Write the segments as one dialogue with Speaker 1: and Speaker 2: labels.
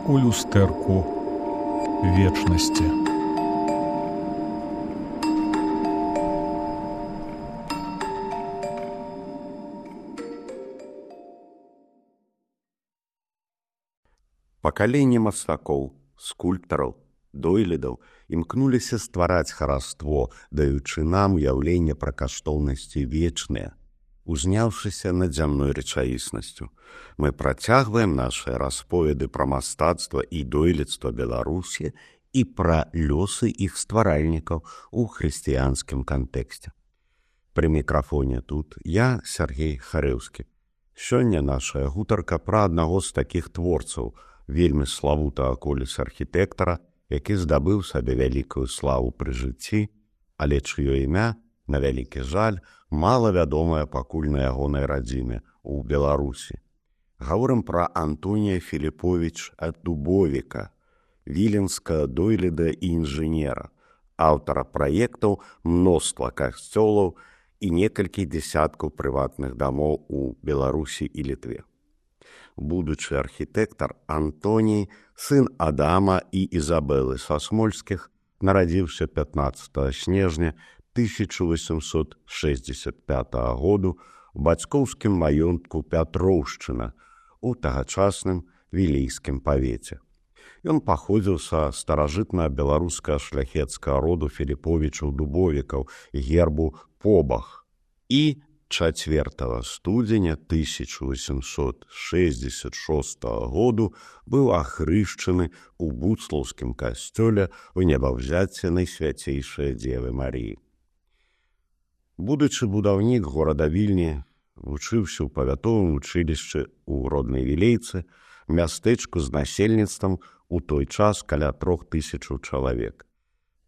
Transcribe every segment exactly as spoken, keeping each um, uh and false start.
Speaker 1: у люстэрку вечнасці.
Speaker 2: Пакаленне мастакоў, скульптараў, дойлідаў імкнуліся ствараць хараство, даючы нам уяўленне пра каштоўнасці вечныя, узняўшыся над зямной рэчаіснасцю. Мы працягваем нашыя расповеды пра мастацтва і дойлідства Беларусі і пра лёсы іх стваральнікаў у хрысціянскім кантэксце. Пры мікрафоне тут я, Сергей Харэўскі. Сёння нашая гутарка пра аднаго з такіх творцаў, вельмі славутага коліс архітэктара, які здабыў сабе вялікую славу пры жыцці, але чыё імя, на вялікі жаль, малавядомае пакуль на ягонай радзіме ў Беларусі. Гаворым пра Антонія Філіповіч Дубовіка, віленскага дойліда і інжынера, аўтара праектаў мноства касцёлаў і некалькі дзесяткаў прыватных дамоў у Беларусі і Літве. Будучы архітэктар Антоній, сын Адама і Ізабелы Сасмольскіх, нарадзіўся пятнаццатага снежня тысяча восемьсот шэсцьдзесят пятага году у бацькоўскім маёнтку Пятроўшчына у тагачасным вілейскім павеце. Ён паходзіў са старажытна-беларускага шляхецкага роду Філіповічаў-Дубовікаў, гербу Побах, і чацвёртага студзеня тысяча восемьсот шэсцьдзесят шостага году быў ахрышчаны ў буцлаўскім касцёле ў небаўзяцце Найсвяцейшай Дзевы Маріі. Будучы будаўнік горада Вільні, вучыўся ў павятовым вучылішчы ў роднай Вілейцы, мястэчку з насельніцтвам у той час каля трох тысячаў чалавек.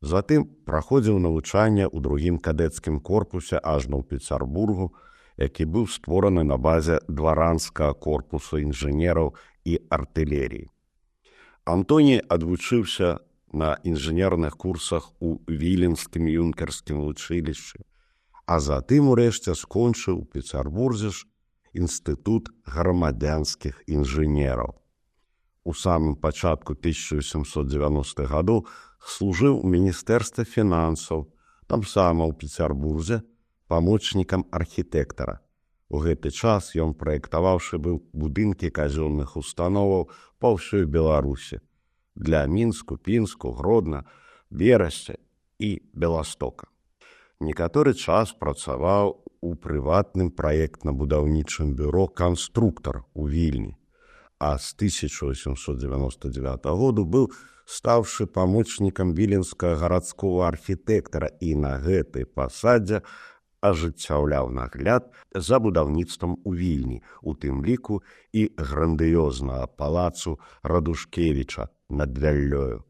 Speaker 2: Затым праходзіў навучанне ў другім кадэцкім корпусе ажно ў Пецярбургу, які быў створаны на базе дваранскага корпусу інжынераў і артылеріі. Антоній адвучыўся на інжынерных курсах у віленскім юнкерскім вучылішчы, а затым урэшце скончыў у Пецярбурзе ж інстытут грамадзянскіх інжынераў. У самым пачатку тысяча восемьсот девяностых гадоў служыў у міністэрстве фінансаў, там сама ў Пецярбурзе, памочнікам архітэктара. У гэты час ён праектаваўшы быў будынкі казённых установаў па ўсёй Беларусі для Мінску, Пінску, Гродна, Берасця і Беластока. Некаторы час працаваў у прыватным праектна-будаўнічым бюро «Канструктар» у Вільні, а з тысяча восемьсот девяносто девятого году быў стаўшы памочнікам віленскага гарадскога архітэктара і на гэтай пасадзе ажыццяўляў нагляд за будаўніцтвам у Вільні, у тым ліку і грандыёзнага палацу Радушкевіча над Вяллёю.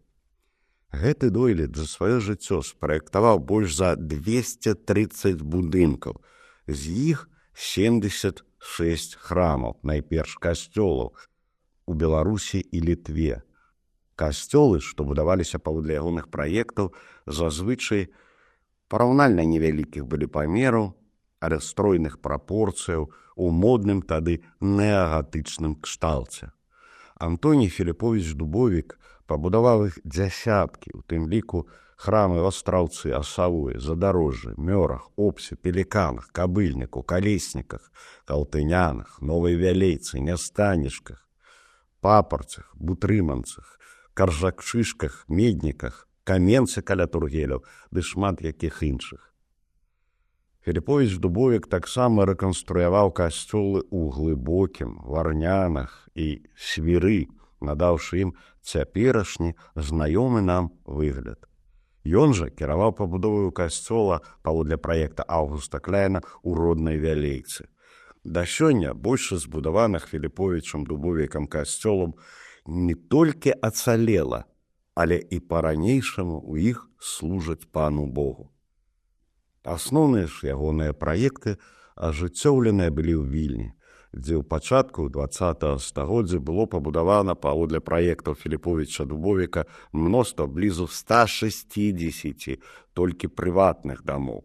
Speaker 2: Гэты дойлід за сваё жыццё спраектаваў больш за двести тридцать будынкаў, з іх семьдесят шесть храмаў, найперш касцёлаў, у Беларусі і Літве. Касцёлы, што будаваліся паводле ягоных праектаў, зазвычай параўнальна невялікіх былі памераў, але стройных прапорцыяў у модным тады неагатычным кшталце. Антоній Філіповіч Дубовік пабудаваў іх дзясяткі, у тым ліку храмы ў Астраўцы, Асавуі, Задарожжы, Мёрах, Обсе, Пеліканах, Кабыльніку, Калесніках, Калтынянах, Новай Вялейцы, Нястанішках, Папарцах, Бутрыманцах, Каржакшышках, Медніках, Каменцы каля Тургеляў ды шмат якіх іншых. Філіповіч Дубовік таксама рэканструяваў касцёлы ў Глыбокім, Варнянах і Свіры, надаўшы ім цяперашні знаёмы нам выгляд. Ён жа кіраваў пабудоваю касцёла паводле праекта Аўгуста Кляйна ў роднай Вялейцы. Да сёння большасць збудаваных Філіповічам Дубовікам касцёлам не толькі ацалела, але і па-ранейшаму ў іх служаць пану Богу. Асноўныя ж ягоныя праекты ажыццёўленыя былі ў Вільні, дзе ў пачатку дваццатага стагоддзя было пабудавана паводле праектаў Філіповіча Дубовіка мноства блізу ста шэсцідзесяці толькі прыватных дамоў.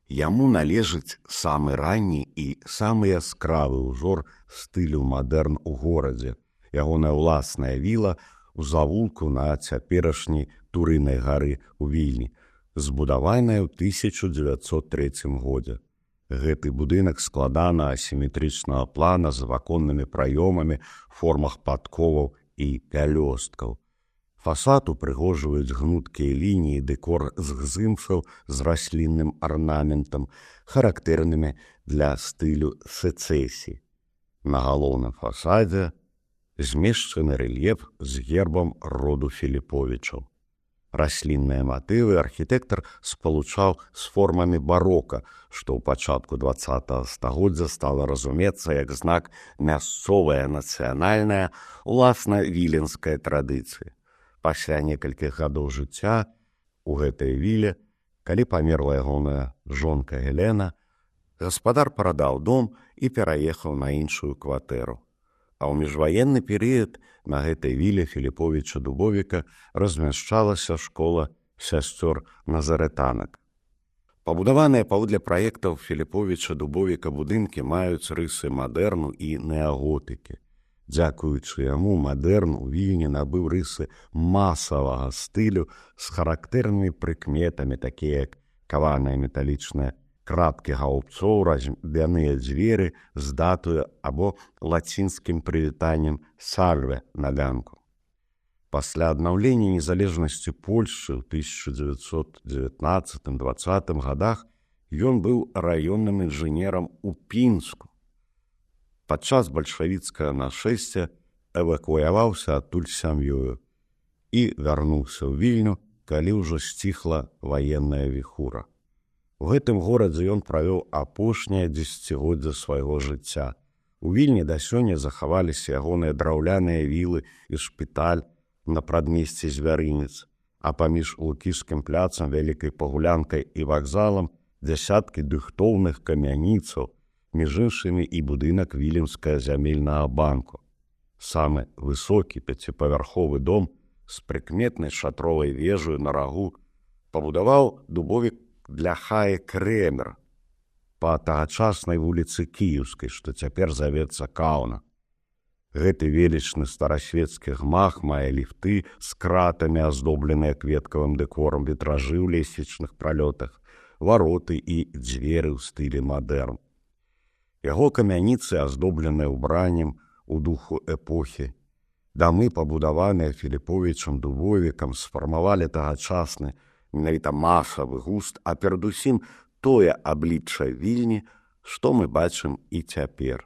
Speaker 2: Яму належыць самы ранні і самы яскравы ўзор стылю мадэрн у горадзе, ягоная ўласная віла у завулку на цяперашняй Турынай гары ў Вільні, збудаваная ў тысяча дзевяцьсот трэцім годзе. Гэты будынак складана асіметрычнага плана з ваконнымі праёмамі, формах падковаў і пялёсткаў. Фасад упрыгожваюць гнуткія лініі, дэкор з гзымфаў з раслінным арнаментам, характэрнымі для стылю сэцэсіі. На галоўным фасадзе змешчаны рэльеф з гербам роду Філіповічаў. Раслінныя матывы архітэктар спалучаў з формамі барока, што ў пачатку дваццатага стагоддзя стала разумецца як знак мясцовая нацыянальная, уласна віленская традыцыя. Пасля некалькіх гадоў жыцця у гэтай віле, калі памерла ягоная жонка Гелена, гаспадар прадаў дом і пераехаў на іншую кватэру. А ў міжваенны перыяд на гэтай віле Філіповіча Дубовіка размяшчалася школа сясцёр назарэтанак. Пабудаваныя паводле праектаў Філіповіча Дубовіка будынкі маюць рысы мадэрну і неаготыкі. Дзякуючы яму мадэрн у Вільні набыў рысы масавага стылю з характэрнымі прыкметамі, такія як каваныя металічныя краткі гаубцоў, разьбяныя дзверы з датою або лацінскім прывітаннем «Сальве» на ганку. Пасля аднаўлення незалежнасці Польшчы ў тысяча дзевяцьсот дзевятнаццатым — дваццатым гадах ён быў раённым інжынерам у Пінску. Падчас бальшавіцкага нашэсця эвакуяваўся адтуль сям'ёю і вярнуўся ў Вільню, калі ўжо сціхла ваенная віхура. У гэтым горадзе ён правёў апошняе дзесяцігоддзе свайго жыцця. У Вільні да сёння захаваліся ягоныя драўляныя вілы і шпіталь на прадмесці Звярынец, а паміж Лукішскім пляцам, Вялікай Пагулянкай і вакзалам дзясяткі дыхтоўных камяніцаў, між іншымі і будынак Віленскага зямельнага банку. Самы высокі пяціпавярховы дом з прыкметнай шатровай вежаю на рагу пабудаваў Дубовік для Хаі Крэмер па тагачаснай вуліцы Кіеўскай, што цяпер завецца Каўна. Гэты велічны старасвецкі гмах мае ліфты з кратамі, аздобленыя кветкавым дэкорам, вітражы ў лесвічных пралётах, вароты і дзверы ў стылі мадэрн. Яго камяніцы аздобленыя ўбраннем у духу эпохі. Дамы, пабудаваныя Філіповічам Дубовікам, сфармавалі тагачасны, менавіта масавы густ, а перадусім тое аблічча Вільні, што мы бачым і цяпер.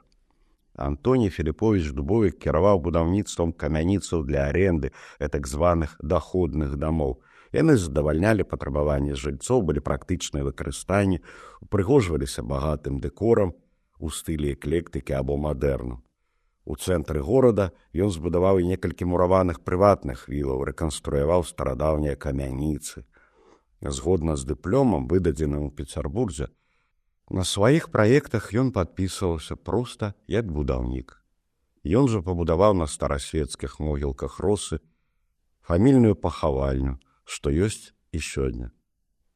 Speaker 2: Антоній Філіповіч Дубовік кіраваў будаўніцтвам камяніцаў для аренды, так званых даходных дамоў. Яны задавальнялі патрабаванні жыльцоў, былі практычныя выкарыстанні, упрыгожваліся багатым дэкорам у стылі эклектыкі або мадэрну. У цэнтры горада ён збудаваў і некалькі мураваных прыватных вілаў, рэканструяваў старадаўнія камяніцы. Згодна з дыпломам, выдадзеным у Пецярбурзе, на сваіх праектах ён падпісваўся проста як будаўнік. Ён жа пабудаваў на старасвецкіх могілках Росы фамільную пахавальню, што ёсць і сёння.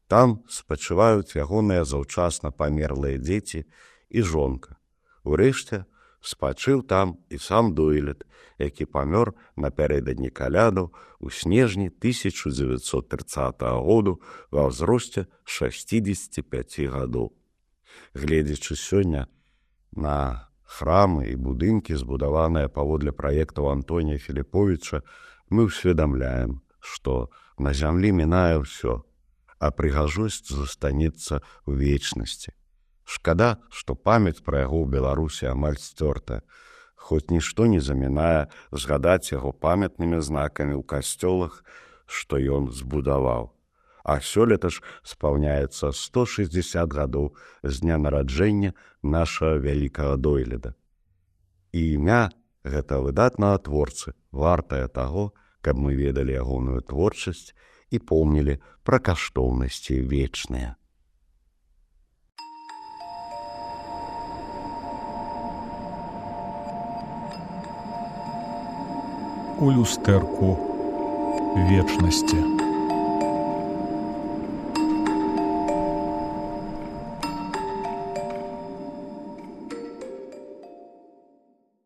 Speaker 2: Там спачываюць ягоныя заўчасна памерлыя дзеці і жонка. Урэшце, спачыў там і сам Дойлід, які памёр напярэдадні калядаў у снежні тысяча дзевяцьсот трыццатага году ва ўзросце шасцідзесяці пяці гадоў. Гледзячы сёння на храмы і будынкі, збудаваныя паводле праектаў Антонія Філіповіча, мы ўсведамляем, што на зямлі мінае ўсё, а прыгажосць застанецца ў вечнасці. Шкада, што памяць пра яго ў Беларусі амаль сцёртая, хоць нішто не замінае згадаць яго памятнымі знакамі ў касцёлах, што ён збудаваў. А сёлета ж спаўняецца сто шэсцьдзесят гадоў з дня нараджэння нашага вялікага Дойліда. І імя гэтага выдатнага творцы вартае таго, каб мы ведалі ягоную творчасць і помнілі пра каштоўнасці вечныя.
Speaker 1: У люстэрку вечнасці.